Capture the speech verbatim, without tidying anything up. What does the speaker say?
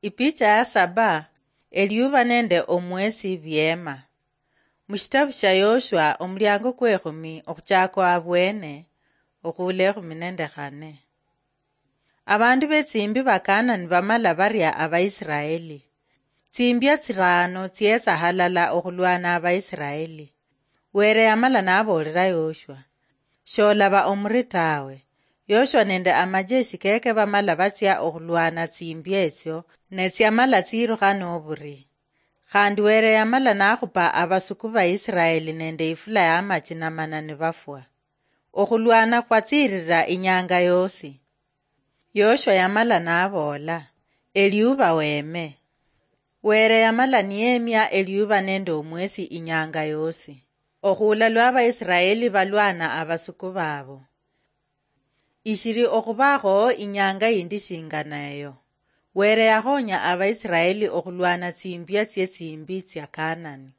Ipicha ya saba, eliuba nende omwesi biema. Mushitabu shia Yoshua, omuliango kwekhumi, okhuchaka abwene, okhula ekhumi nende khane. Abandu betsimbi ba Kanani bamala baria Abaisiraeli. Tsimbia tsirano tsietsa halala okhulwana Abaisiraeli. Were yamala naboolera Yoshua, "Sholaba omuri tawe." Yoshua nende amajeshi keke bamala batsia okhulwana tsimbia etsio, ne tsiamala tsirukha noburi. Khandi Were yamala nakhupa abasuku ba Isiraeli nende ifula ya machi namana nibafwa. Okhulwana khwatsirira inyanga yosi. Yoshua yamala naboola, "Eliuba weme." Were yamala niyemia eliuba nende omwesi inyanga yosi, okhuula lwa Abaisiraeli balwana abasuku babo. Ishiri okhubakho inyanga yindi shingana eyo, Were yakhonya Abaisiraeli okhulwana tsimbia tsie tsimbi tsia Kanani.